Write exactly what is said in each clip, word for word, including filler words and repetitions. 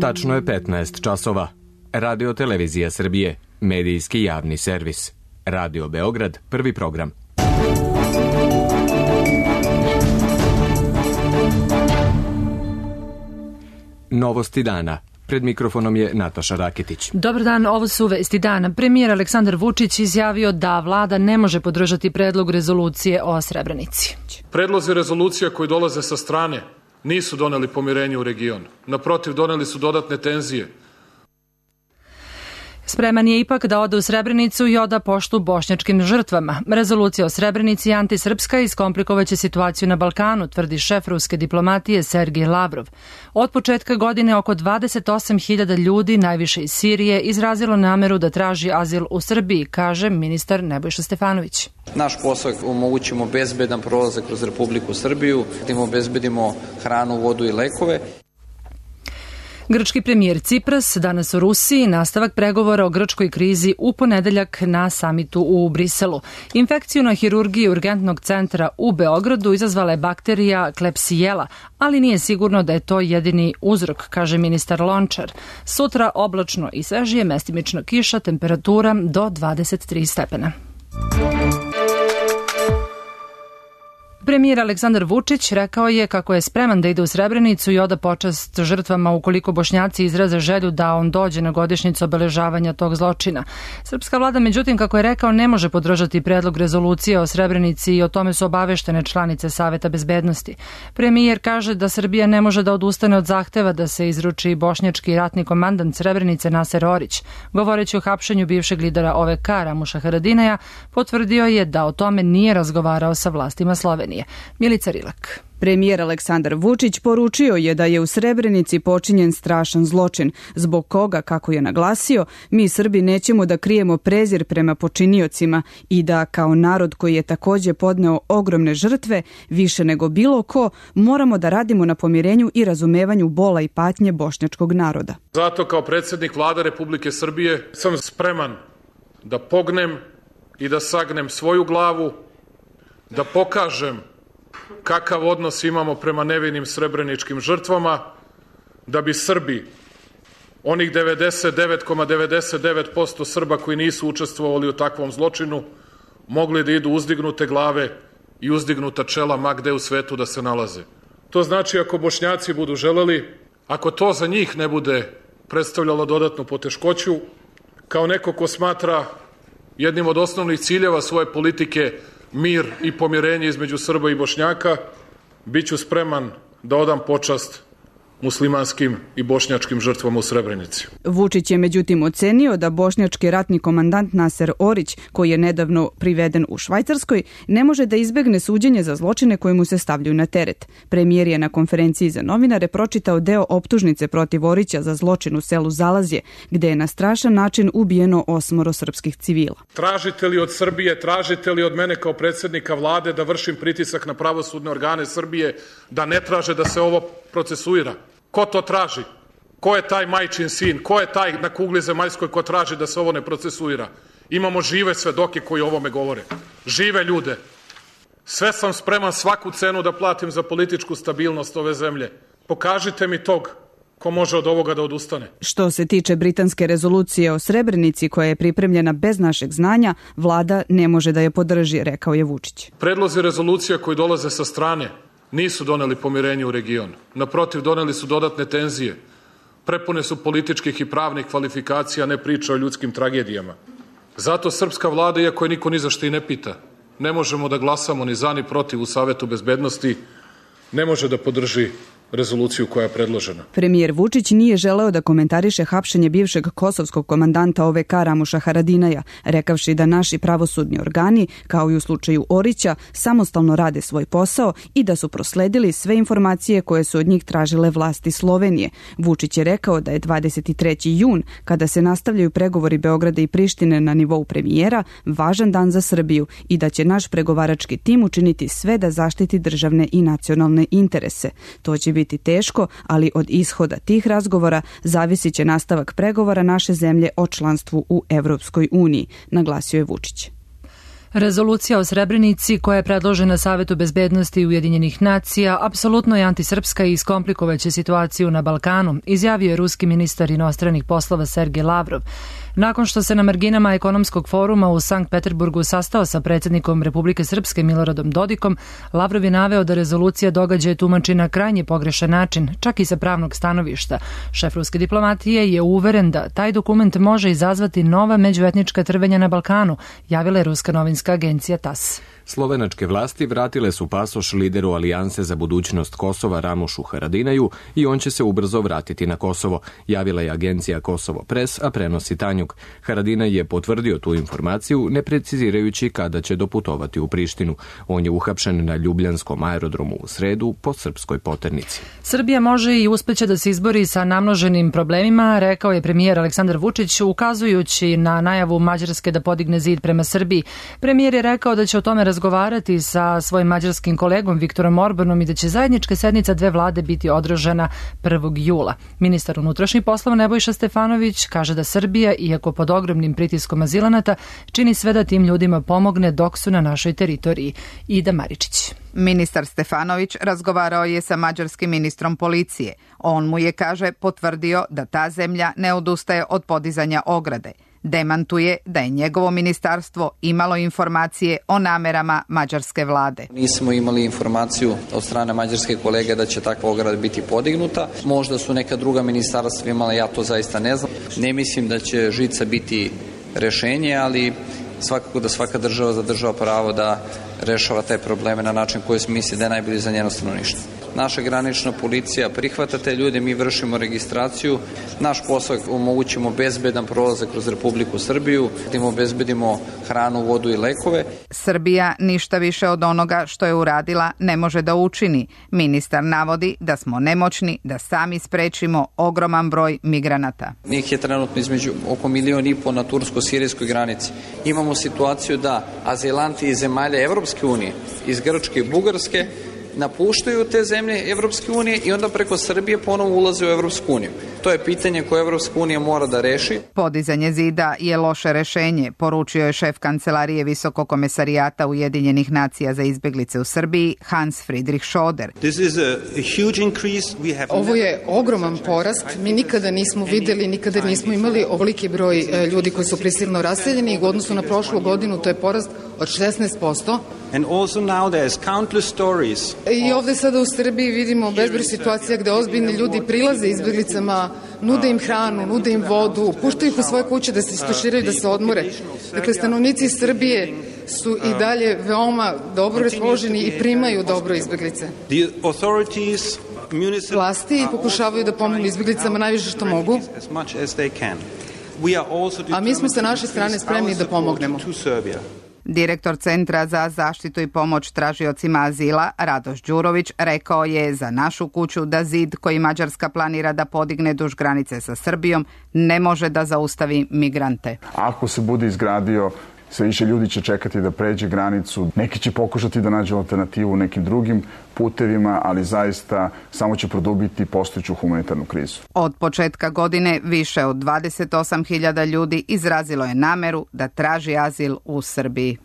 Tačno je petnaest časova. Radio Televizija Srbije, medijski javni servis. Radio Beograd, prvi program. Novosti dana. Pred mikrofonom je Nataša Raketić. Dobar dan, ovo su vesti dana. Premijer Aleksandar Vučić izjavio da vlada ne može podržati predlog rezolucije o Srebrenici. Predlozi rezolucija koji dolaze sa strane nisu doneli pomirenje u regionu. Naprotiv, doneli su dodatne tenzije. Spreman je ipak da ode u Srebrenicu i oda poštu bošnjačkim žrtvama. Rezolucija o Srebrenici je antisrpska i iskomplikovaće situaciju na Balkanu, tvrdi šef ruske diplomatije Sergej Lavrov. Od početka godine oko dvadeset osam hiljada ljudi, najviše iz Sirije, izrazilo nameru da traži azil u Srbiji, kaže ministar Nebojša Stefanović. Naš posao omogućimo bezbedan prolazak kroz Republiku Srbiju, da im obezbedimo hranu, vodu i lekove. Grčki premijer Cipras danas u Rusiji, nastavak pregovora o grčkoj krizi u ponedeljak na samitu u Briselu. Infekciju na hirurgiji urgentnog centra u Beogradu izazvala je bakterija Klebsiella, ali nije sigurno da je to jedini uzrok, kaže ministar Lončar. Sutra oblačno i svežije, mestimično kiša, temperatura do dvadeset tri stepena. Premijer Aleksandar Vučić rekao je kako je spreman da ide u Srebrenicu i oda počast žrtvama ukoliko Bošnjaci izraze želju da on dođe na godišnjicu obeležavanja tog zločina. Srpska vlada, međutim, kako je rekao, ne može podržati predlog rezolucije o Srebrenici i o tome su obaveštene članice Saveta bezbednosti. Premijer kaže da Srbija ne može da odustane od zahteva da se izruči bošnjački ratni komandant Srebrenice Naser Orić. Govoreći o hapšenju bivšeg lidera O V K Ramuša Haradinaja, potvrdio je da o tome nije razgovarao sa vlastima Slovenije. Milica Rilak. Premijer Aleksandar Vučić poručio je da je u Srebrenici počinjen strašan zločin, zbog koga, kako je naglasio, mi Srbi nećemo da krijemo prezir prema počiniocima i da, kao narod koji je takođe podneo ogromne žrtve, više nego bilo ko, moramo da radimo na pomirenju i razumevanju bola i patnje bošnjačkog naroda. Zato kao predsjednik Vlade Republike Srbije sam spreman da pognem i da sagnem svoju glavu, da pokažem kakav odnos imamo prema nevinim srebreničkim žrtvama, da bi Srbi, onih devedeset devet zarez devedeset devet posto Srba koji nisu učestvovali u takvom zločinu, mogli da idu uzdignute glave i uzdignuta čela ma gde u svetu da se nalaze. To znači ako Bošnjaci budu želeli, ako to za njih ne bude predstavljalo dodatnu poteškoću, kao neko ko smatra jednim od osnovnih ciljeva svoje politike mir i pomirenje između Srba i Bošnjaka, bit ću spreman da odam počast muslimanskim i bošnjačkim žrtvama u Srebrenici. Vučić je međutim ocenio da bošnjački ratni komandant Naser Orić, koji je nedavno priveden u Švajcarskoj, ne može da izbegne suđenje za zločine koje mu se stavljaju na teret. Premijer je na konferenciji za novinare pročitao deo optužnice protiv Orića za zločin u selu Zalazje, gde je na strašan način ubijeno osmoro srpskih civila. Tražite li od Srbije, tražite li od mene kao predsjednika vlade da vršim pritisak na pravosudne organe Srbije da ne traže da se ovo procesuira? Ko to traži? Ko je taj majčin sin? Ko je taj na kugli zemaljskoj ko traži da se ovo ne procesuira? Imamo žive svedoke koji o ovome govore. Žive ljude. Sve sam spreman svaku cenu da platim za političku stabilnost ove zemlje. Pokažite mi tog ko može od ovoga da odustane. Što se tiče britanske rezolucije o Srebrenici koja je pripremljena bez našeg znanja, vlada ne može da je podrži, rekao je Vučić. Predlozi rezolucija koji dolaze sa strane nisu doneli pomirenje u regionu. Naprotiv, doneli su dodatne tenzije. Prepune su političkih i pravnih kvalifikacija, ne priča o ljudskim tragedijama. Zato srpska vlada, iako je niko ni za što i ne pita, ne možemo da glasamo ni za ni protiv u Savetu bezbednosti, ne može da podrži rezoluciju koja je predložena. Premijer Vučić nije želeo da komentariše hapšenje bivšeg kosovskog komandanta O V K Ramuša Haradinaja, rekavši da naši pravosudni organi, kao i u slučaju Orića, samostalno rade svoj posao i da su prosledili sve informacije koje su od njih tražile vlasti Slovenije. Vučić je rekao da je dvadeset treći jun, kada se nastavljaju pregovori Beograda i Prištine na nivou premijera, važan dan za Srbiju i da će naš pregovarački tim učiniti sve da zaštiti državne i nacionalne interese. To će biti biti teško, ali od ishoda tih razgovora zavisit će nastavak pregovora naše zemlje o članstvu u Evropskoj uniji, naglasio je Vučić. Rezolucija o Srebrenici, koja je predložena Savetu bezbednosti Ujedinjenih nacija, apsolutno je antisrpska i iskomplikovaće situaciju na Balkanu, izjavio je ruski ministar inostranih poslova Sergej Lavrov. Nakon što se na marginama ekonomskog foruma u Sankt Peterburgu sastao sa predsjednikom Republike Srpske Miloradom Dodikom, Lavrov je naveo da rezolucija događaje tumači na krajnje pogrešan način, čak i sa pravnog stanovišta. Šef ruske diplomatije je uveren da taj dokument može izazvati nova međuetnička trvenja na Balkanu, javila je ruska novinska agencija TASS. Slovenačke vlasti vratile su pasoš lideru Alijanse za budućnost Kosova Ramušu Haradinaju i on će se ubrzo vratiti na Kosovo, javila je agencija Kosovo Press, a prenosi Tanjug. Haradinaj je potvrdio tu informaciju, ne precizirajući kada će doputovati u Prištinu. On je uhapšen na Ljubljanskom aerodromu u sredu po srpskoj poternici. Srbija može i uspeće da se izbori sa namnoženim problemima, rekao je premijer Aleksandar Vučić, ukazujući na najavu Mađarske da podigne zid prema Srbiji. Premijer je rekao da će o tome razgovarati sa svojim mađarskim kolegom Viktorom Orbanom i da će zajednička sednica dve vlade biti održana prvog jula. Ministar unutrašnjih poslova Nebojša Stefanović kaže da Srbija, iako pod ogromnim pritiskom azilanata, čini sve da tim ljudima pomogne dok su na našoj teritoriji. Ida Maričić. Ministar Stefanović razgovarao je sa mađarskim ministrom policije. On mu je, kaže, potvrdio da ta zemlja ne odustaje od podizanja ograde. Demantuje da je njegovo ministarstvo imalo informacije o namerama mađarske vlade. Nismo imali informaciju od strane mađarske kolege da će takva ograda biti podignuta. Možda su neka druga ministarstva imala, ja to zaista ne znam. Ne mislim da će žica biti rešenje, ali svakako da svaka država zadržava pravo da rešava te probleme na način koji misli da je najbolji za njeno stanovništvo. Naša granična policija prihvata te ljude, mi vršimo registraciju. Naš posao je omogućimo bezbedan prolazak kroz Republiku Srbiju, da im obezbedimo hranu, vodu i lekove. Srbija ništa više od onoga što je uradila ne može da učini. Ministar navodi da smo nemoćni da sami sprečimo ogroman broj migranata. Njih je trenutno između oko milion i po na tursko-sirijskoj granici. Imamo situaciju da azilanti iz zemalja Evropske unije, iz Grčke i Bugarske, napuštaju te zemlje Evropske unije i onda preko Srbije ponovo ulaze u Evropsku uniju. To je pitanje koje Evropska unija mora da reši. Podizanje zida je loše rešenje, poručio je šef kancelarije Visokog komesarijata Ujedinjenih nacija za izbeglice u Srbiji, Hans Friedrich Schoder. Ovo je ogroman porast. Mi nikada nismo videli, nikada nismo imali ovoliki broj ljudi koji su prisilno raseljeni i u odnosu na prošlu godinu to je porast od šesnaest posto. And also now there's countless stories. I ovde sada u Srbiji vidimo bezbroj situacija gde ozbiljni ljudi prilaze izbeglicama, nude im hranu, nude im vodu, puštaju ih u svoje kuće da se istuširaju, da se odmore. Dakle, stanovnici Srbije su i dalje veoma dobro raspoloženi i primaju dobro izbeglice. The authorities, Vlasti pokušavaju da pomognu izbeglicama najviše što mogu. A mi smo sa naše strane spremni da pomognemo. Direktor Centra za zaštitu i pomoć tražiocima azila, Radoš Đurović, rekao je za našu kuću da zid koji Mađarska planira da podigne duž granice sa Srbijom ne može da zaustavi migrante. Ako se bude izgradio, sve više ljudi će čekati da pređe granicu, neki će pokušati da nađu alternativu nekim drugim putevima, ali zaista samo će produbiti postojeću humanitarnu krizu. Od početka godine više od dvadeset osam hiljada ljudi izrazilo je nameru da traži azil u Srbiji.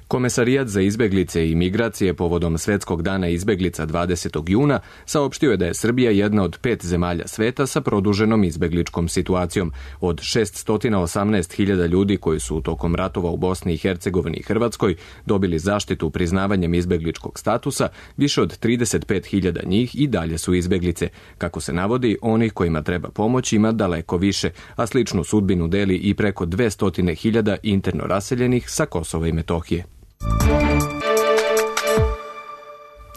Komesarijat za izbeglice i migracije povodom Svetskog dana izbeglica dvadesetog juna saopštio je da je Srbija jedna od pet zemalja sveta sa produženom izbegličkom situacijom. Od šessto osamnaest hiljada ljudi koji su tokom ratova u Bosni i Hercegovini i Hrvatskoj dobili zaštitu priznavanjem izbegličkog statusa, više od trideset pet hiljada njih i dalje su izbeglice. Kako se navodi, onih kojima treba pomoć ima daleko više, a sličnu sudbinu deli i preko dvesta hiljada interno raseljenih sa Kosova i Metohije.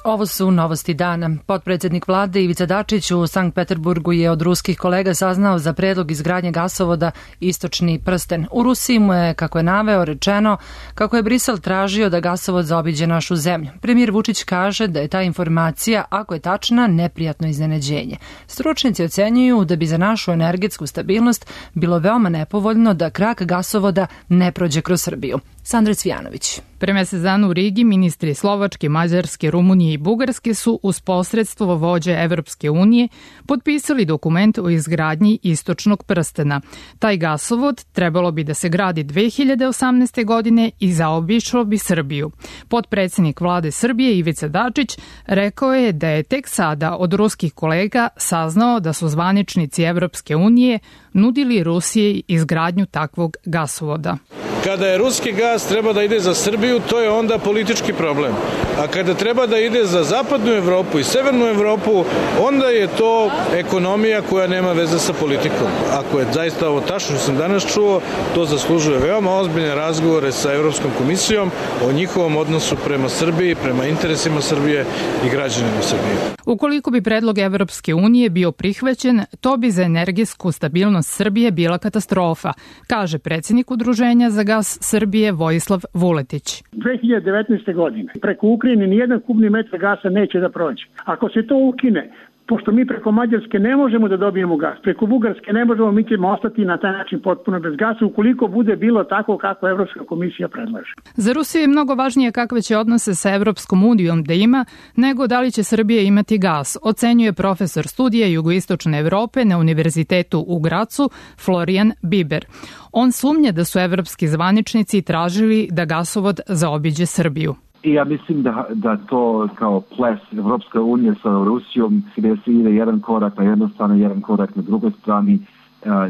Ovo su novosti dana. Potpredsjednik vlade Ivica Dačić u Sankt Peterburgu je od ruskih kolega saznao za predlog izgradnje gasovoda Istočni prsten. U Rusiji mu je, kako je naveo, rečeno kako je Brisel tražio da gasovod zaobiđe našu zemlju. Premijer Vučić kaže da je ta informacija, ako je tačna, neprijatno iznenađenje. Stručnjaci ocenjuju da bi za našu energetsku stabilnost bilo veoma nepovoljno da krak gasovoda ne prođe kroz Srbiju. Sandra Cvijanović. Pre mesec dana u Rigi ministri Slovačke, Mađarske, Rumunije i Bugarske su uz posredstvo vođe Evropske unije potpisali dokument o izgradnji istočnog prstena. Taj gasovod trebalo bi da se gradi dve hiljade osamnaeste. godine i zaobišlo bi Srbiju. Potpredsednik vlade Srbije Ivica Dačić rekao je da je tek sada od ruskih kolega saznao da su zvaničnici Evropske unije nudili Rusiji izgradnju takvog gasovoda. Kada je ruski gas treba da ide za Srbiju, to je onda politički problem. A kada treba da ide za zapadnu Evropu i severnu Evropu, onda je to ekonomija koja nema veze sa politikom. Ako je zaista ovo tačno što sam danas čuo, to zaslužuje veoma ozbiljne razgovore sa Evropskom komisijom o njihovom odnosu prema Srbiji, prema interesima Srbije i građanima Srbije. Ukoliko bi predlog Evropske unije bio prihvaćen, to bi za energetsku stabilnost Srbije bila katastrofa, kaže predsjednik Udruženja za gas Srbije Vojislav Vuletić. dve hiljade devetnaeste. godine preko Ukrajine nijedan kubni metar gasa neće da prođe. Ako se to ukine, pošto mi preko Mađarske ne možemo da dobijemo gas, preko Bugarske ne možemo, mi ćemo ostati na taj način potpuno bez gasa ukoliko bude bilo tako kako Evropska komisija predlaže. Za Rusiju je mnogo važnije kakve će odnose sa Evropskom unijom da ima, nego da li će Srbija imati gas, ocenjuje profesor studija jugoistočne Evrope na Univerzitetu u Gracu Florian Biber. On sumnja da su evropski zvaničnici tražili da gasovod zaobiđe Srbiju. I ja mislim da, da to kao ples Evropska unija sa Rusijom, gde se ide jedan korak na jednoj strani, jedan korak na drugoj strani,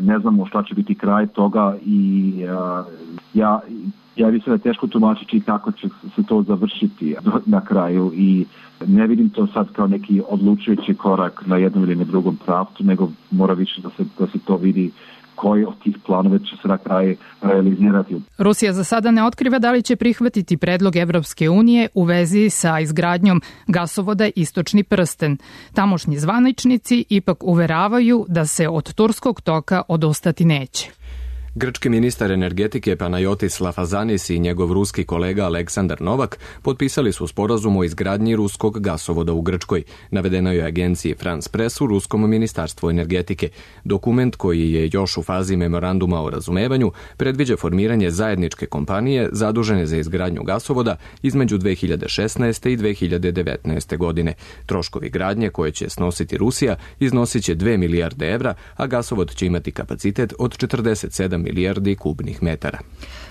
ne znamo šta će biti kraj toga i ja, ja mislim da je teško tumačiti kako će se to završiti na kraju i ne vidim to sad kao neki odlučujući korak na jednom ili na drugom pravcu, nego mora više da se, da se to vidi koji od tih planova će se na kraju realizirati. Rusija za sada ne otkriva da li će prihvatiti predlog Evropske unije u vezi sa izgradnjom gasovoda Istočni prsten. Tamošnji zvaničnici ipak uveravaju da se od turskog toka odustati neće. Grčki ministar energetike Panayotis Lafazanis i njegov ruski kolega Aleksandar Novak potpisali su sporazum o izgradnji ruskog gasovoda u Grčkoj, navedeno je agenciji France Press u Ruskom ministarstvu energetike. Dokument koji je još u fazi memoranduma o razumevanju predviđa formiranje zajedničke kompanije zadužene za izgradnju gasovoda između dve hiljade šesnaeste. i dve hiljade devetnaeste. godine. Troškovi gradnje koje će snositi Rusija iznosit će dve milijarde evra, a gasovod će imati kapacitet od četrdeset sedam milijardi kubnih metara.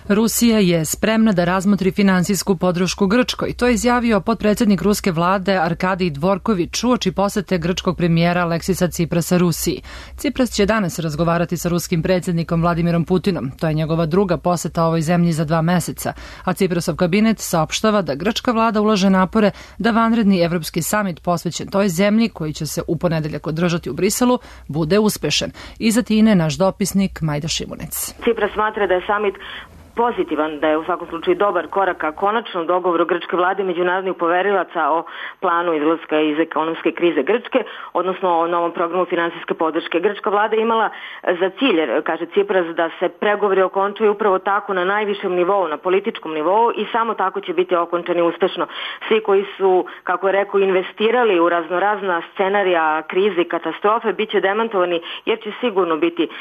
Rusija je spremna da razmotri finansijsku podršku Grčkoj. To je izjavio potpredsjednik ruske vlade Arkadij Dvorković uoči posete grčkog premijera Aleksisa Ciprasa Rusiji. Cipras će danas razgovarati sa ruskim predsjednikom Vladimirom Putinom. To je njegova druga poseta ovoj zemlji za dva meseca, a Ciprasov kabinet saopštava da grčka vlada ulaže napore da vanredni evropski samit posvećen toj zemlji, koji će se u ponedeljak održati u Briselu, bude uspešan. Iz Atine naš dopisnik Majda Šimunec. Cipras smatra da je samit pozitivan, da je u svakom slučaju dobar korak ka konačnom dogovoru grčke vlade i međunarodnih poverilaca o planu izlaska iz ekonomske krize Grčke, odnosno o novom programu finansijske podrške. Grčka vlada imala za cilj, kaže Cipras, da se pregovori okončaju upravo tako na najvišem nivou, na političkom nivou i samo tako će biti okončani uspešno. Svi koji su, kako je rekao, investirali u raznorazna scenarija krize i katastrofe bit će demantovani jer će sigurno biti uh,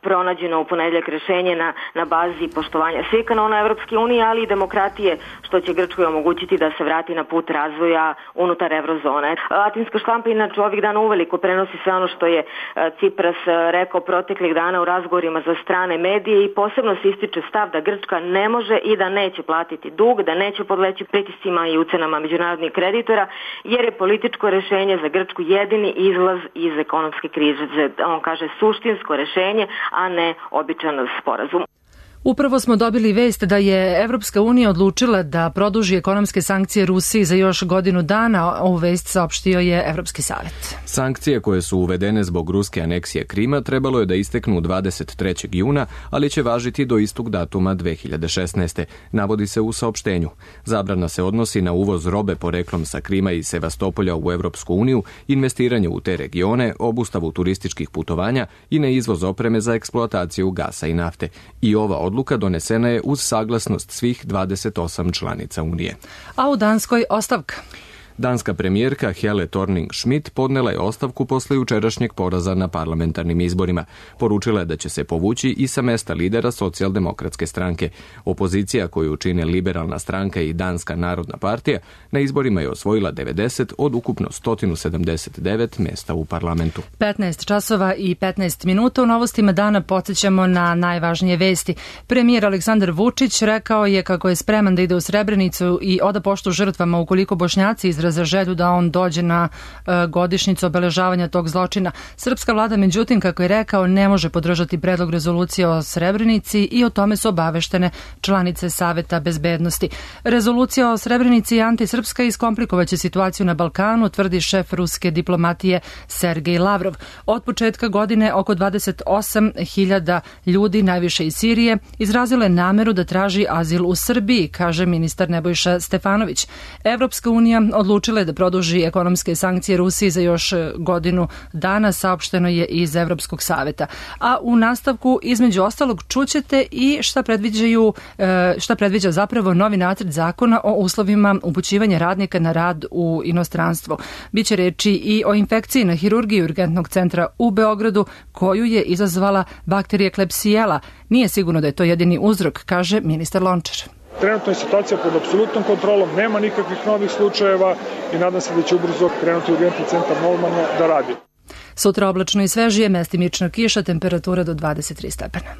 pronađeno u ponedeljak rešenje na, na bazi poštovanja svih kanona Evropske unije, ali i demokratije, što će Grčkoj omogućiti da se vrati na put razvoja unutar evrozone. Atinska štampa inače ovih dana uveliko prenosi sve ono što je Cipras rekao proteklih dana u razgovorima za strane medije i posebno se ističe stav da Grčka ne može i da neće platiti dug, da neće podleći pritiscima i ucenama međunarodnih kreditora, jer je političko rešenje za Grčku jedini izlaz iz ekonomske krize. On kaže suštinsko rešenje, a ne običan sporazum. Upravo smo dobili vest da je Evropska unija odlučila da produži ekonomske sankcije Rusiji za još godinu dana. Ovu vest saopštio je Evropski savjet. Sankcije koje su uvedene zbog ruske aneksije Krima trebalo je da isteknu dvadeset trećeg juna, ali će važiti do istog datuma dve hiljade šesnaeste. Navodi se u saopštenju. Zabrana se odnosi na uvoz robe poreklom sa Krima i Sevastopolja u Evropsku uniju, investiranje u te regione, obustavu turističkih putovanja i na izvoz opreme za eksploataciju gasa i nafte. I ova odluka donesena je uz saglasnost svih dvadeset osam članica Unije. A u Danskoj ostavka. Danska premijerka Helle Thorning-Schmidt podnela je ostavku posle jučerašnjeg poraza na parlamentarnim izborima. Poručila je da će se povući i sa mesta lidera socijaldemokratske stranke. Opozicija koju čine Liberalna stranka i Danska narodna partija na izborima je osvojila devedeset od ukupno sto sedamdeset devet mesta u parlamentu. petnaest časova i petnaest minuta u novostima dana podsjećamo na najvažnije vesti. Premijer Aleksandar Vučić rekao je kako je spreman da ide u Srebrenicu i oda poštu žrtvama ukoliko Bošnjaci izraze želju da on dođe na e, godišnjicu obeležavanja tog zločina. Srpska vlada, međutim, kako je rekao, ne može podržati predlog rezolucije o Srebrenici i o tome su obaveštene članice Saveta bezbednosti. Rezolucija o Srebrenici je antisrpska i iskomplikovaće situaciju na Balkanu, tvrdi šef ruske diplomatije Sergej Lavrov. Od početka godine oko dvadeset osam hiljada ljudi, najviše iz Sirije, izrazile nameru da traži azil u Srbiji, kaže ministar Nebojša Stefanović. Evropska unija odlučila je da produži ekonomske sankcije Rusiji za još godinu dana, saopšteno je iz Evropskog saveta. A u nastavku, između ostalog, čućete i šta predviđaju, šta predviđa zapravo novi nacrt zakona o uslovima upućivanja radnika na rad u inostranstvo. Biće reči i o infekciji na hirurgiji urgentnog centra u Beogradu, koju je izazvala bakterija Klebsiella. Nije sigurno da je to jedini uzrok, kaže ministar Lončar. Trenutno je situacija pod apsolutnom kontrolom, nema nikakvih novih slučajeva i nadam se da će ubrzo krenuti urgentni centar normalno da radi. Sutra oblačno i svežije, mestimično kiša, temperatura do dvadeset tri stepena.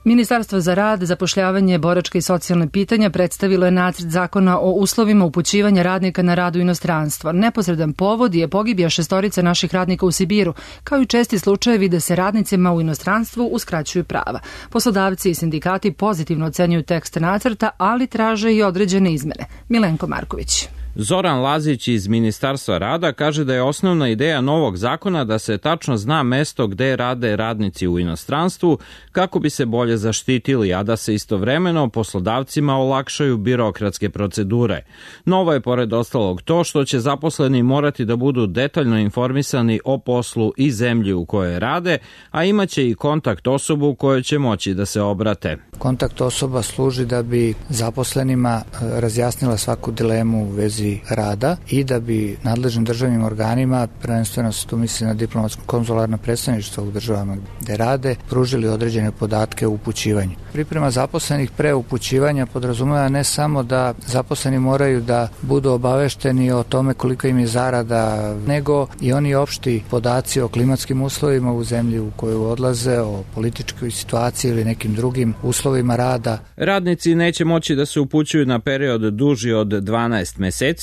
Ministarstvo za rad, zapošljavanje, boračka i socijalne pitanja predstavilo je nacrt zakona o uslovima upućivanja radnika na rad u inostranstvo. Neposredan povod je pogibija šestorice naših radnika u Sibiru, kao i česti slučajevi da se radnicima u inostranstvu uskraćuju prava. Poslodavci i sindikati pozitivno ocenjuju tekst nacrta, ali traže i određene izmene. Milenko Marković. Zoran Lazić iz Ministarstva rada kaže da je osnovna ideja novog zakona da se tačno zna mesto gde rade radnici u inostranstvu kako bi se bolje zaštitili, a da se istovremeno poslodavcima olakšaju birokratske procedure. Novo je pored ostalog to što će zaposleni morati da budu detaljno informisani o poslu i zemlji u kojoj rade, a imaće i kontakt osobu kojoj će moći da se obrate. Kontakt osoba služi da bi zaposlenima razjasnila svaku dilemu u vezi rada i da bi nadležnim državnim organima, prvenstveno se tu misli na diplomatsko-konzularno predstavništvo u državama gde rade, pružili određene podatke o upućivanju. Priprema zaposlenih pre upućivanja podrazumeva ne samo da zaposleni moraju da budu obavešteni o tome koliko im je zarada, nego i oni opšti podaci o klimatskim uslovima u zemlji u koju odlaze, o političkoj situaciji ili nekim drugim uslovima rada. Radnici neće moći da se upućuju na period duži od dvanaest meseci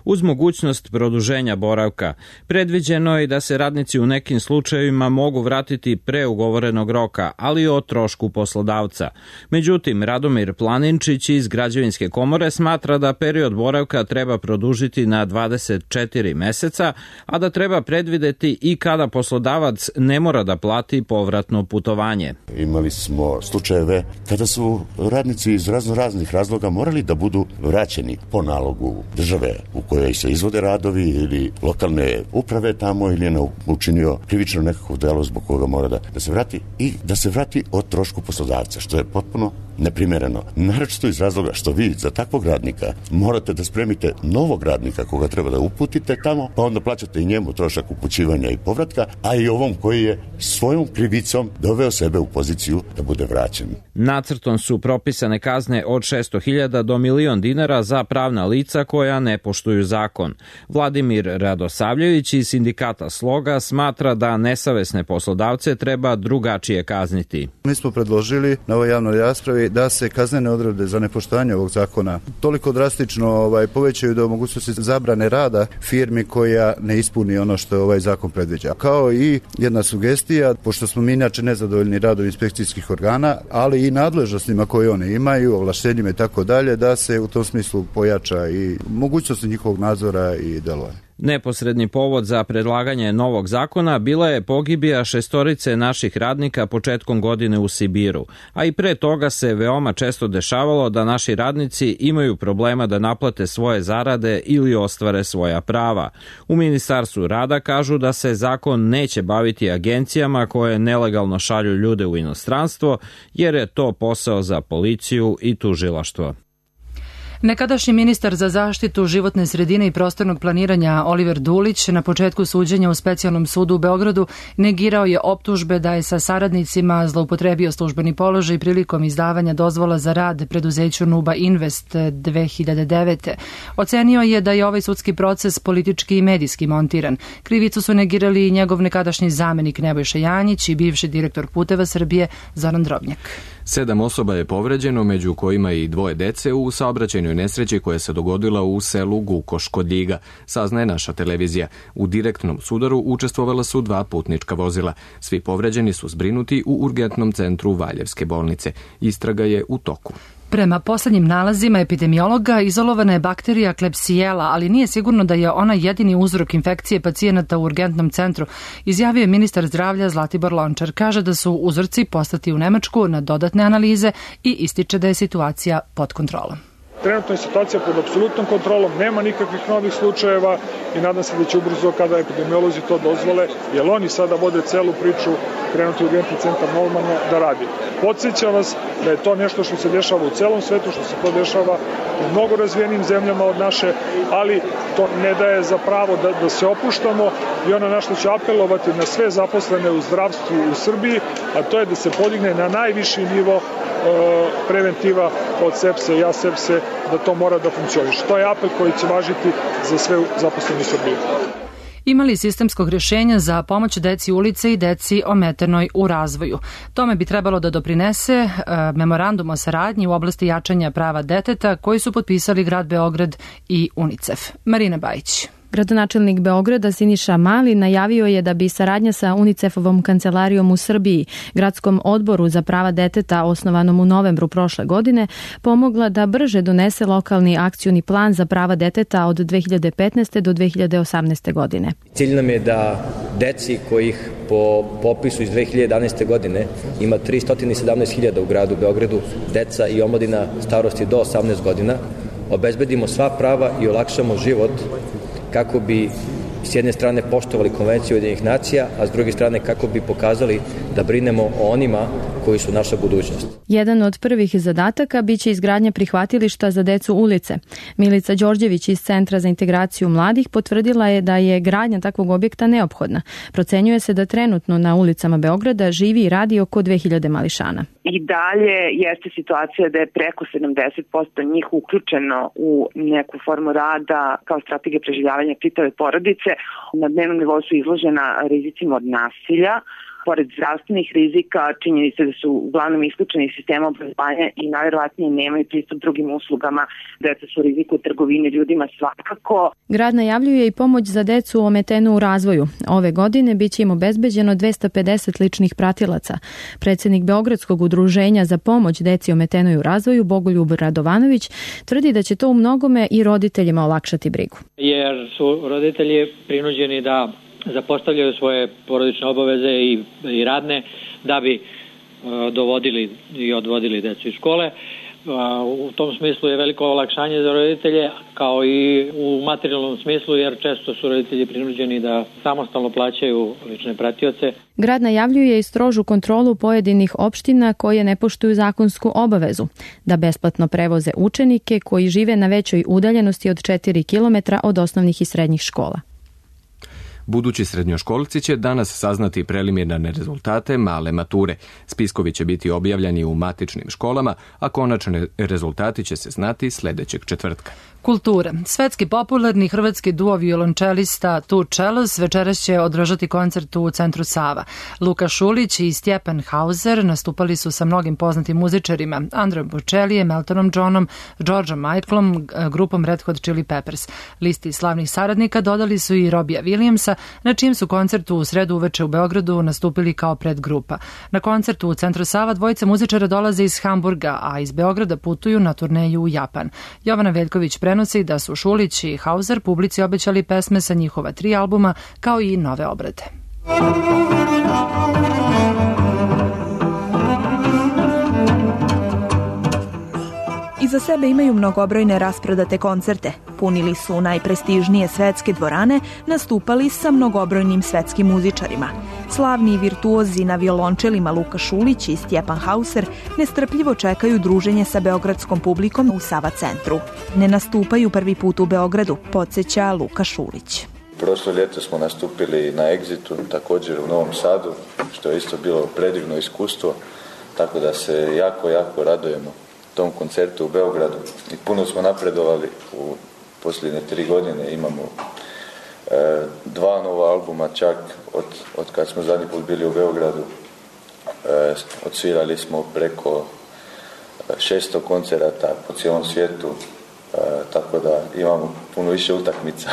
uz mogućnost produženja boravka. Predviđeno je da se radnici u nekim slučajevima mogu vratiti pre ugovorenog roka, ali o trošku poslodavca. Međutim, Radomir Planinčić iz Građevinske komore smatra da period boravka treba produžiti na dvadeset četiri meseca, a da treba predvideti i kada poslodavac ne mora da plati povratno putovanje. Imali smo slučajeve kada su radnici iz razno raznih razloga morali da budu vraćeni po nalogu države u kojoj se izvode radovi ili lokalne uprave tamo ili je učinio krivično nekako delo zbog koga mora da, da se vrati i da se vrati o trošku poslodavca, što je potpuno neprimereno. Naročito iz razloga što vi za takvog radnika morate da spremite novog radnika koga treba da uputite tamo, pa onda plaćate i njemu trošak upućivanja i povratka, a i ovom koji je svojom krivicom doveo sebe u poziciju da bude vraćen. Nacrtom su propisane kazne od šesto hiljada do milion dinara za pravna lica koja ne poštuju zakon. Vladimir Radosavljević iz sindikata Sloga smatra da nesavesne poslodavce treba drugačije kazniti. Mi smo predložili na ovoj javnoj raspravi da se kaznene odredbe za nepoštovanje ovog zakona toliko drastično ovaj, povećaju do mogućnosti zabrane rada firmi koja ne ispuni ono što ovaj zakon predviđa. Kao i jedna sugestija, pošto smo mi inače nezadovoljni radom inspekcijskih organa, ali i nadležnostima koje one imaju, ovlaštenjima i tako dalje, da se u tom smislu pojača i mogućnosti njihovog nadzora i delovanja. Neposredni povod za predlaganje novog zakona bila je pogibija šestorice naših radnika početkom godine u Sibiru, a i pre toga se veoma često dešavalo da naši radnici imaju problema da naplate svoje zarade ili ostvare svoja prava. U Ministarstvu rada kažu da se zakon neće baviti agencijama koje nelegalno šalju ljude u inostranstvo, jer je to posao za policiju i tužilaštvo. Nekadašnji ministar za zaštitu životne sredine i prostornog planiranja Oliver Dulić na početku suđenja u Specijalnom sudu u Beogradu negirao je optužbe da je sa saradnicima zloupotrebio službeni položaj prilikom izdavanja dozvola za rad preduzeću Nuba Invest dve hiljade devete. Ocenio je da je ovaj sudski proces politički i medijski montiran. Krivicu su negirali i njegov nekadašnji zamenik Nebojša Janjić i bivši direktor Puteva Srbije Zoran Drobnjak. Sedam osoba je povređeno, među kojima i dvoje dece u saobraćajnoj nesreći koja se dogodila u selu Gukoš kod Ljiga, saznaje naša televizija. U direktnom sudaru učestvovala su dva putnička vozila. Svi povređeni su zbrinuti u urgentnom centru Valjevske bolnice. Istraga je u toku. Prema poslednjim nalazima epidemiologa izolovana je bakterija Klebsiella, ali nije sigurno da je ona jedini uzrok infekcije pacijenata u urgentnom centru, izjavio je ministar zdravlja Zlatibor Lončar. Kaže da su uzorci poslati u Nemačku na dodatne analize i ističe da je situacija pod kontrolom. Trenutno je situacija pod apsolutnom kontrolom, nema nikakvih novih slučajeva i nadam se da će ubrzo, kada epidemiolozi to dozvole, jer oni sada vode celu priču, krenuti u urgentni centar normalno da radi. Podsjećam vas da je to nešto što se dešava u celom svetu, što se to dešava u mnogo razvijenim zemljama od naše, ali to ne daje za pravo da, da se opuštamo i ono na što ću apelovati na sve zaposlene u zdravstvu u Srbiji, a to je da se podigne na najviši nivo preventiva od sepse i asepse, da to mora da funkcioniše. To je apel koji će važiti za sve zaposlene u Srbiji. Ima li sistemskog rješenja za pomoć deci ulice i deci ometenoj u razvoju? Tome bi trebalo da doprinese e, memorandum o saradnji u oblasti jačanja prava deteta koji su potpisali grad Beograd i UNICEF. Marina Bajić. Gradonačelnik Beograda Siniša Mali najavio je da bi saradnja sa UNICEF-ovom kancelarijom u Srbiji, gradskom odboru za prava deteta osnovanom u novembru prošle godine, pomogla da brže donese lokalni akcioni plan za prava deteta od dve hiljade petnaeste do dve hiljade osamnaeste godine. Cilj nam je da deci kojih po popisu iz dve hiljade jedanaeste godine ima tristo sedamnaest hiljada u gradu Beogradu, deca i omladina starosti do osamnaest godina, obezbedimo sva prava i olakšamo život kako bi s jedne strane poštovali Konvenciju Ujedinjenih nacija, a s druge strane kako bi pokazali da brinemo o onima koji su naša budućnost. Jedan od prvih zadataka biće izgradnja prihvatilišta za decu ulice. Milica Đorđević iz Centra za integraciju mladih potvrdila je da je gradnja takvog objekta neophodna. Procenjuje se da trenutno na ulicama Beograda živi i radi oko dve hiljade mališana. I dalje jeste situacija da je preko sedamdeset posto njih uključeno u neku formu rada kao strategija preživljavanja čitave porodice. Na dnevnom nivou su izložena rizicima od nasilja. Pored zdravstvenih rizika, činjeni se da su uglavnom isključeni iz sistema obrazovanja i najverovatnije nemaju pristup drugim uslugama. Deca su u riziku trgovine ljudima svakako. Grad najavljuje i pomoć za decu ometenu u razvoju. Ove godine biće im obezbeđeno dvesta pedeset ličnih pratilaca. Predsjednik Beogradskog udruženja za pomoć deci ometenoj u razvoju Bogoljub Radovanović tvrdi da će to u mnogome i roditeljima olakšati brigu. Jer su roditelji prinuđeni da zapostavljaju svoje porodične obaveze i, i radne da bi uh, dovodili i odvodili decu iz škole. Uh, u tom smislu je veliko olakšanje za roditelje, kao i u materijalnom smislu, jer često su roditelji prinuđeni da samostalno plaćaju lične pratioce. Grad najavljuje i strožu kontrolu pojedinih opština koje ne poštuju zakonsku obavezu, da besplatno prevoze učenike koji žive na većoj udaljenosti od četiri kilometra od osnovnih i srednjih škola. Budući srednjoškolci će danas saznati preliminarne rezultate male mature. Spiskovi će biti objavljeni u matičnim školama, a konačni rezultati će se znati sljedećeg četvrtka. Kultura. Svetski popularni hrvatski duo violončelista Tu Čelos večeras će održati koncert u centru Sava. Luka Šulić i Stjepan Hauser nastupali su sa mnogim poznatim muzičarima, Andreom Bocellijem, Eltonom Johnom, Georgeom Michaelom, grupom Red Hot Chili Peppers. Listi slavnih saradnika dodali su i Robija Williamsa, na čijem su koncertu u sredu uveče u Beogradu nastupili kao predgrupa. Na koncertu u centru Sava dvojica muzičara dolaze iz Hamburga, a iz Beograda putuju na turneju u Japan. Jovana Veljković prenosi da su Šulić i Hauser publici obećali pesme sa njihova tri albuma, kao i nove obrade. Iz Iza sebe imaju mnogobrojne rasprodate koncerte. Punili su najprestižnije svetske dvorane, nastupali sa mnogobrojnim svetskim muzičarima. Slavni virtuozi na violončelima Luka Šulić i Stjepan Hauser nestrpljivo čekaju druženje sa beogradskom publikom u Sava centru. Ne nastupaju prvi put u Beogradu, podsjeća Luka Šulić. Prošlo ljeto smo nastupili na Exitu, također u Novom Sadu, što je isto bilo predivno iskustvo, tako da se jako, jako radujemo tom koncertu u Beogradu i puno smo napredovali u posljednje tri godine. Imamo e, dva nova albuma čak od, od kad smo zadnji put bili u Beogradu. E, odsvirali smo preko šesto koncerata po cijelom svijetu, e, tako da imamo puno više utakmica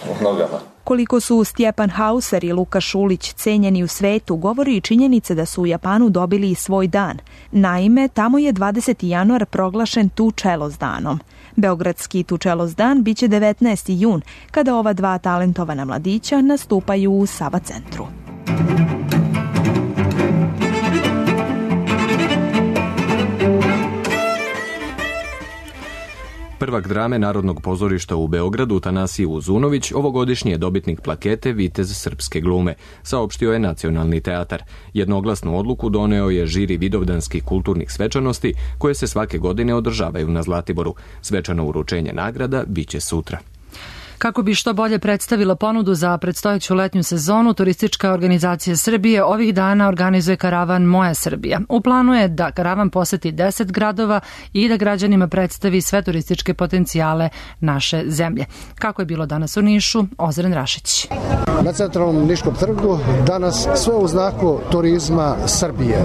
u nogama. Koliko su Stjepan Hauser i Luka Šulić cenjeni u svetu, govori i činjenica da su u Japanu dobili i svoj dan. Naime, tamo je dvadeseti januar proglašen Tučelos danom. Beogradski Tučelos dan biće devetnaesti jun, kada ova dva talentovana mladića nastupaju u Sava centru. Prvak drame Narodnog pozorišta u Beogradu, Tanasije Uzunović, ovogodišnji je dobitnik plakete Vitez srpske glume, saopštio je Nacionalni teatar. Jednoglasnu odluku doneo je žiri vidovdanskih kulturnih svečanosti, koje se svake godine održavaju na Zlatiboru. Svečano uručenje nagrada biće sutra. Kako bi što bolje predstavila ponudu za predstojeću letnju sezonu, Turistička organizacija Srbije ovih dana organizuje karavan Moja Srbija. U planu je da karavan poseti deset gradova i da građanima predstavi sve turističke potencijale naše zemlje. Kako je bilo danas u Nišu, Ozren Rašić. Na centralnom Niškom trgu danas sve u znaku turizma Srbije.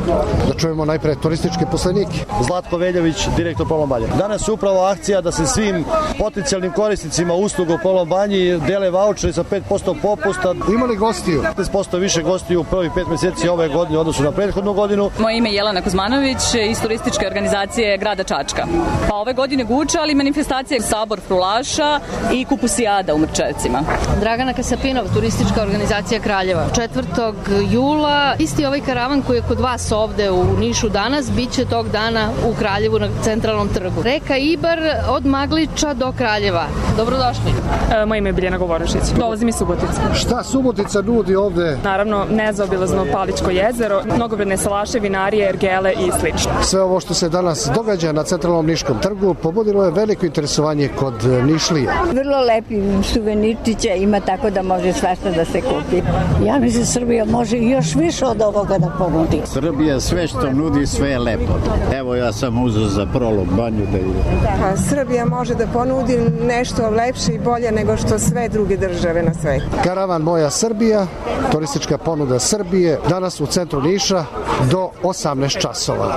Da čujemo najpre turističke poslenike. Zlatko Veljović, direktor Polom Banje. Danas je upravo akcija da se svim potencijalnim korisnicima usluga u Polom Banji dele vaučeri sa pet posto popusta. Ima li gostiju? petnaest posto više gostiju u prvih pet mjeseci ove godine u odnosu na prethodnu godinu. Moje ime je Jelena Kuzmanović iz turističke organizacije grada Čačka. Pa ove godine Guča, ali manifestacije Sabor Frulaša i Kupusijada u Mrčevcima. Dragana Kasapinov, turistička organizacija Kraljeva. četvrtog jula isti ovaj karavan koji je kod vas ovde u Nišu danas, bit će tog dana u Kraljevu na centralnom trgu. Reka Ibar od Magliča do Kraljeva. Dobrodošli. E, moje ime je Biljana Govorošić. Dolazim iz Subotice. Šta Subotica nudi ovde? Naravno, nezaobilazno Paličko jezero, mnogobrojne salaše, vinarije, ergele i slično. Sve ovo što se danas događa na centralnom Niškom trgu pobudilo je veliko interesovanje kod Nišlija. Vrlo lepi suvenirčića ima, tako da može svašta da se kupi. Ja mislim Srbija može još više od ovoga da ponudi. Srbija sve što nudi, sve je lepo. Evo ja sam uzeo za Prolog banju da ide. Pa, Srbija može da ponudi nešto lepše i bolje nego što sve druge države na svetu. Karavan Moja Srbija, turistička ponuda Srbije, danas u centru Niša do osamnaest časova.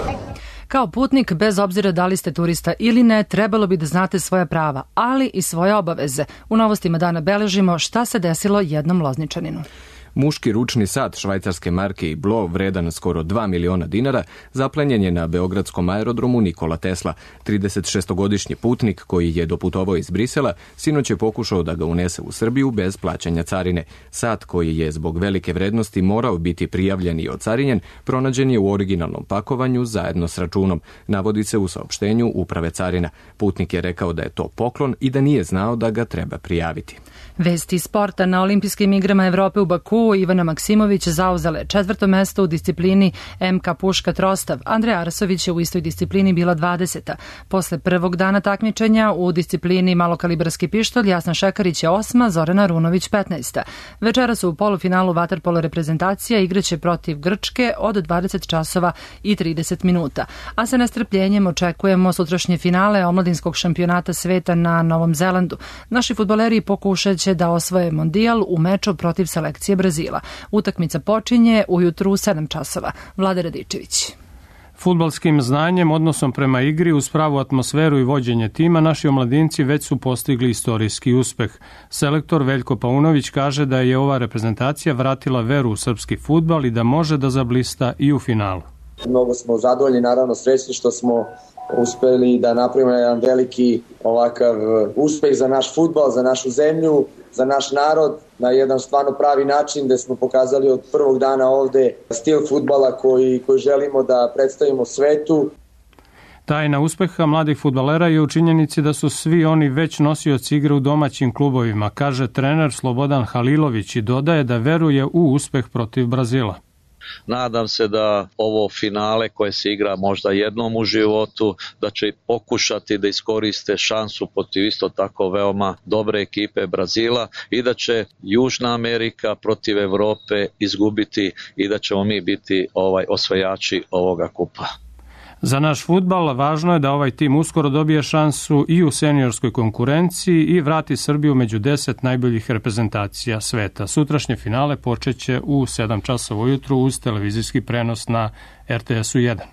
Kao putnik, bez obzira da li ste turista ili ne, trebalo bi da znate svoja prava, ali i svoje obaveze. U novostima dana beležimo šta se desilo jednom Lozničaninu. Muški ručni sat švajcarske marke Iblo, vredan skoro dva miliona dinara, zaplenjen je na beogradskom aerodromu Nikola Tesla. tridesetšestogodišnji putnik koji je doputovao iz Brisela sinoć je pokušao da ga unese u Srbiju bez plaćanja carine. Sat koji je zbog velike vrednosti morao biti prijavljen i ocarinjen, pronađen je u originalnom pakovanju zajedno s računom, navodi se u saopštenju Uprave carina. Putnik je rekao da je to poklon i da nije znao da ga treba prijaviti. Vesti sporta. Na Olimpijskim igrama Evrope u Baku Ivana Maksimović zauzela četvrto mesto u disciplini M K puška trostav. Andreja Arsović je u istoj disciplini bila dvadeseta. Posle prvog dana takmičenja u disciplini malokalibarski pištolj Jasna Šekarić je osma, Zorana Runović petnaesta. Večeras u polufinalu vaterpolo reprezentacija igraće protiv Grčke od dvadeset časova i trideset minuta. A sa nestrpljenjem očekujemo sutrašnje finale omladinskog šampionata sveta na Novom Zelandu. Naši fudbaleri pokušat će da osvoje mondijal u meču protiv selekcije Brazila. Utakmica počinje ujutru u sedam časova. Vlada Radičević. Fudbalskim znanjem, odnosom prema igri, uz pravu atmosferu i vođenje tima, naši omladinci već su postigli istorijski uspeh. Selektor Veljko Paunović kaže da je ova reprezentacija vratila veru u srpski fudbal i da može da zablista i u finalu. Mnogo smo zadovoljni, naravno srećni što smo uspeli da napravimo jedan veliki ovakav uspeh za naš fudbal, za našu zemlju, za naš narod, na jedan stvarno pravi način gde smo pokazali od prvog dana ovde stil fudbala koji, koji želimo da predstavimo svetu. Tajna uspeha mladih fudbalera je u činjenici da su svi oni već nosioci igre u domaćim klubovima, kaže trener Slobodan Halilović i dodaje da veruje u uspeh protiv Brazila. Nadam se da ovo finale koje se igra možda jednom u životu, da će pokušati da iskoriste šansu protiv isto tako veoma dobre ekipe Brazila i da će Južna Amerika protiv Evrope izgubiti i da ćemo mi biti ovaj osvajači ovoga kupa. Za naš fudbal važno je da ovaj tim uskoro dobije šansu i u seniorskoj konkurenciji i vrati Srbiju među deset najboljih reprezentacija sveta. Sutrašnje finale počeće u sedam časova ujutru uz televizijski prenos na er te esu jedan.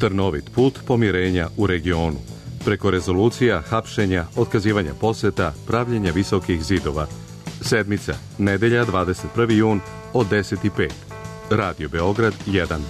Trnovit put pomirenja u regionu. Preko rezolucija, hapšenja, otkazivanja poseta, pravljenja visokih zidova. Sedmica, nedelja dvadeset prvi jun od deset i pet. Radio Beograd jedan.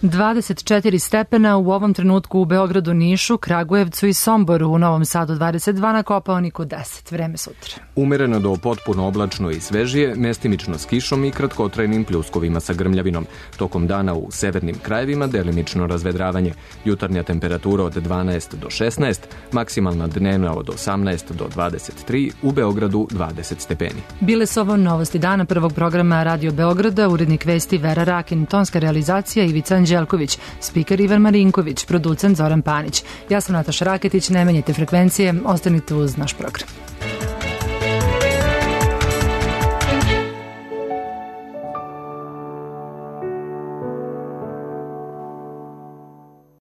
dvadeset četiri stepena u ovom trenutku u Beogradu, Nišu, Kragujevcu i Somboru, u Novom Sadu dvadeset dva, na Kopaoniku deset. Vreme sutra. Umereno do potpuno oblačno i svežije, mestimično s kišom i kratkotrajnim pljuskovima sa grmljavinom. Tokom dana u severnim krajevima delimično razvedravanje. Jutarnja temperatura od dvanaest do šesnaest, maksimalna dnevna od osamnaest do dvadeset tri, u Beogradu dvadeset stepeni. Bile su ovo novosti dana prvog programa Radio Beograda, urednik vesti Vera Rakin, tonska realizacija Ivica Anđelković, spiker Ivan Marinković, producent Zoran Panić. Ja sam Nataša Raketić, ne menjajte frekvencije, ostanite uz naš program.